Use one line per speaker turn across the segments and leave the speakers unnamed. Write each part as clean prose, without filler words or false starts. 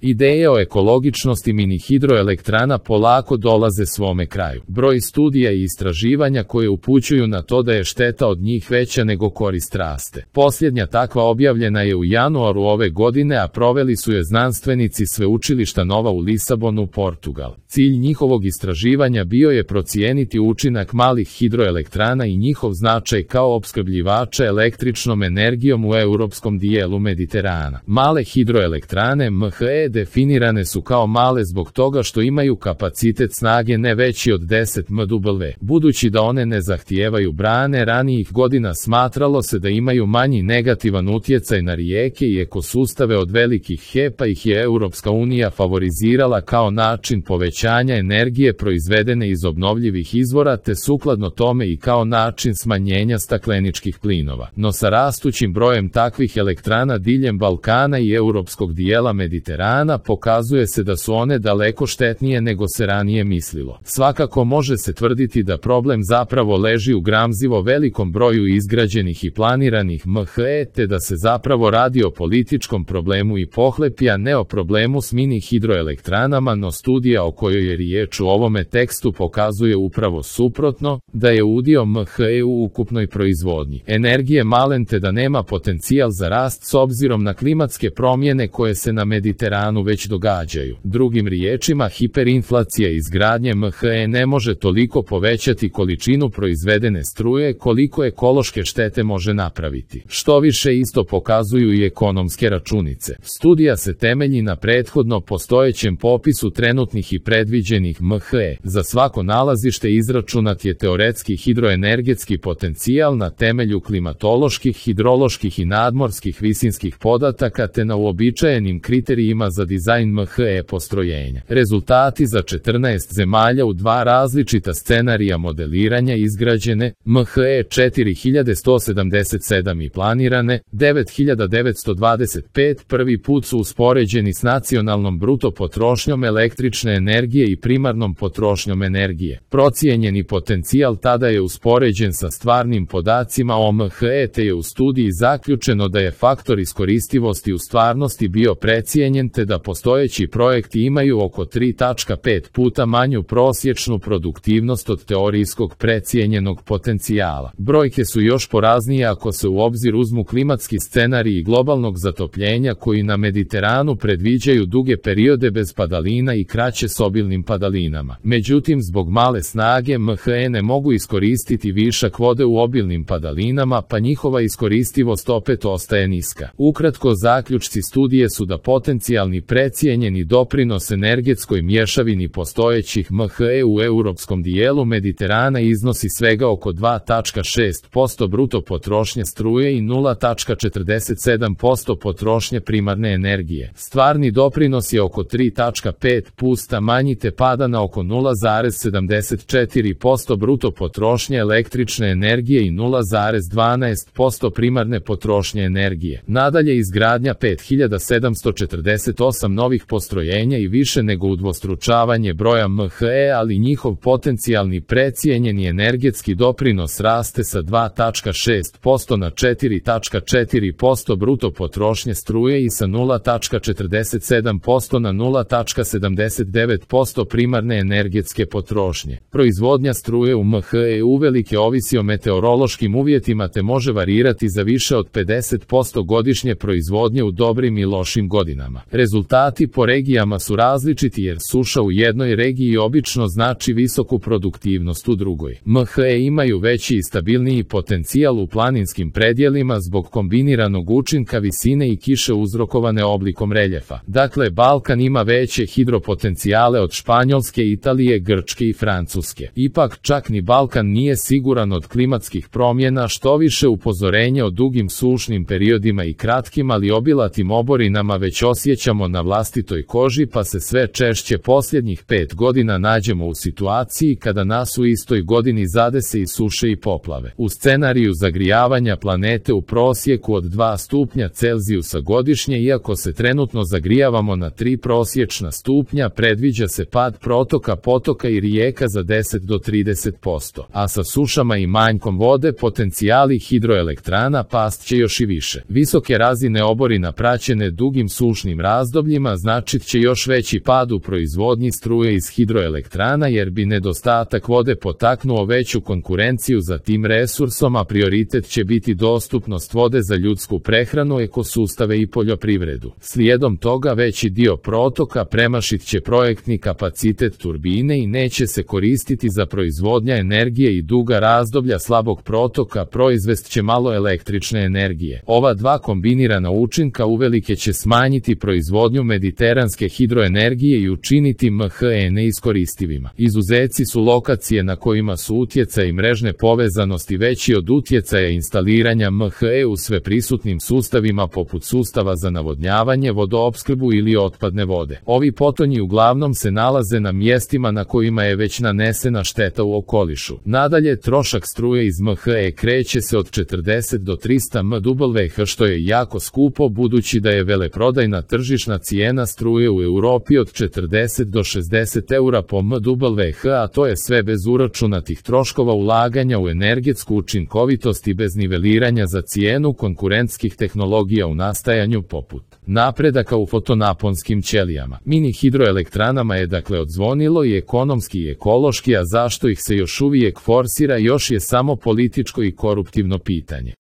Ideje o ekologičnosti mini hidroelektrana polako dolaze svome kraju. Broj studija i istraživanja koje upućuju na to da je šteta od njih veća nego korist raste. Posljednja takva objavljena je u januaru ove godine, a proveli su je znanstvenici Sveučilišta Nova u Lisabonu, Portugal. Cilj njihovog istraživanja bio je procijeniti učinak malih hidroelektrana i njihov značaj kao opskrbljivača električnom energijom u europskom dijelu Mediterana. Male hidroelektrane MHE definirane su kao male zbog toga što imaju kapacitet snage ne veći od 10 MW. Budući da one ne zahtijevaju brane, ranijih godina smatralo se da imaju manji negativan utjecaj na rijeke i ekosustave od velikih HEP-a, ih je Europska unija favorizirala kao način povećanja energije proizvedene iz obnovljivih izvora, te sukladno tome i kao način smanjenja stakleničkih plinova. No sa rastućim brojem takvih elektrana diljem Balkana i europskog dijela Mediterana pokazuje se da su one daleko štetnije nego se ranije mislilo. Svakako može se tvrditi da problem zapravo leži u gramzivo velikom broju izgrađenih i planiranih MHE, te da se zapravo radi o političkom problemu i pohlepi, a ne o problemu s mini hidroelektranama, no studija o kojoj je riječ u ovome tekstu pokazuje upravo suprotno, da je udio MHE u ukupnoj proizvodnji energije malen, te da nema potencijal za rast s obzirom na klimatske promjene koje se na Mediteranu već događaju. Drugim riječima, hiperinflacija izgradnje MHE ne može toliko povećati količinu proizvedene struje koliko ekološke štete može napraviti. Što više, isto pokazuju i ekonomske računice. Studija se temelji na prethodno postojećem popisu trenutnih i predviđenih MHE. Za svako nalazište izračunat je teoretski hidroenergetski potencijal na temelju klimatoloških, hidroloških i nadmorskih visinskih podataka, te na uobičajenim kriterijima za dizajn MHE postrojenja. Rezultati za 14 zemalja u dva različita scenarija modeliranja izgrađene MHE 4177 i planirane 9925 prvi put su uspoređeni s nacionalnom bruto potrošnjom električne energije i primarnom potrošnjom energije. Procijenjeni potencijal tada je uspoređen sa stvarnim podacima o MHE, te je u studiji zaključeno da je faktor iskoristivosti u stvarnosti bio precijenjen, te da postojeći projekti imaju oko 3,5 puta manju prosječnu produktivnost od teorijskog precijenjenog potencijala. Brojke su još poraznije ako se u obzir uzmu klimatski scenariji globalnog zatopljenja koji na Mediteranu predviđaju duge periode bez padalina i kraće s obilnim padalinama. Međutim, zbog male snage MHE ne mogu iskoristiti višak vode u obilnim padalinama, pa njihova iskoristivost opet ostaje niska. Ukratko, zaključci studije su da potencijalni precijenjeni doprinos energetskoj mješavini postojećih MHE u europskom dijelu Mediterana iznosi svega oko 2,6% bruto potrošnje struje i 0,47% potrošnje primarne energije. Stvarni doprinos je oko 3,5 puta manji, te pada na oko 0,74% bruto potrošnje električne energije i 0,12% primarne potrošnje energije. Nadalje, izgradnja 5748 novih postrojenja i više nego udvostručavanje broja MHE, ali njihov potencijalni precijenjeni energetski doprinos raste sa 2,6% na 4,4% bruto potrošnje struje i sa 0,47% na 0,79% primarne energetske potrošnje. Proizvodnja struje u MHE uvelike ovisi o meteorološkim uvjetima, te može varirati za više od 50% godišnje proizvodnje u dobrim i lošim godinama. Rezultati po regijama su različiti, jer suša u jednoj regiji obično znači visoku produktivnost u drugoj. MHE imaju veći i stabilniji potencijal u planinskim predjelima zbog kombiniranog učinka visine i kiše uzrokovane oblikom reljefa. Dakle, Balkan ima veće hidropotencijale od Španjolske, Italije, Grčke i Francuske. Ipak, čak ni Balkan nije siguran od klimatskih promjena, što više upozorenje o dugim sušnim periodima i kratkim ali obilatim oborinama već osjećamo na vlastitoj koži, pa se sve češće posljednjih 5 godina nađemo u situaciji kada nas u istoj godini zadese i suše i poplave. U scenariju zagrijavanja planete u prosjeku od 2 stupnja Celzijusa godišnje, iako se trenutno zagrijavamo na 3 prosječna stupnja, predviđa se pad protoka potoka i rijeka za 10 do 30%, a sa sušama i manjkom vode potencijali hidroelektrana past će još i više. Visoke razine oborina praćene dugim sušnim razdobljima razdobljima značit će još veći pad u proizvodnji struje iz hidroelektrana jer bi nedostatak vode potaknuo veću konkurenciju za tim resursom, a prioritet će biti dostupnost vode za ljudsku prehranu, ekosustave i poljoprivredu. Slijedom toga veći dio protoka premašit će projektni kapacitet turbine i neće se koristiti za proizvodnja energije i duga razdoblja slabog protoka proizvest će malo električne energije. Ova dva kombinirana učinka uvelike će smanjiti proizvodnju mediteranske hidroenergije i učiniti MHE neiskoristivima. Izuzeci su lokacije na kojima su utjecaj mrežne povezanosti veći od utjecaja instaliranja MHE u sveprisutnim sustavima poput sustava za navodnjavanje, vodoopskrbu ili otpadne vode. Ovi potonji uglavnom se nalaze na mjestima na kojima je već nanesena šteta u okolišu. Nadalje, trošak struje iz MHE kreće se od 40 do 300 MWh, što je jako skupo budući da je veleprodajna tržišna cijena struje u Europi od 40 do 60 eura po MWh, a to je sve bez uračunatih troškova ulaganja u energetsku učinkovitost i bez niveliranja za cijenu konkurentskih tehnologija u nastajanju poput napredaka u fotonaponskim ćelijama. Mini hidroelektranama je dakle odzvonilo i ekonomski i ekološki, a zašto ih se još uvijek forsira još je samo političko i koruptivno pitanje.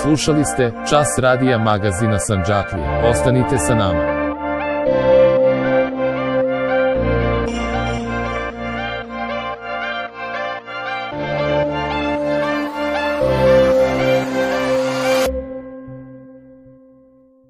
Slušali ste Čas radija magazina Sandžaklija. Ostanite sa nama.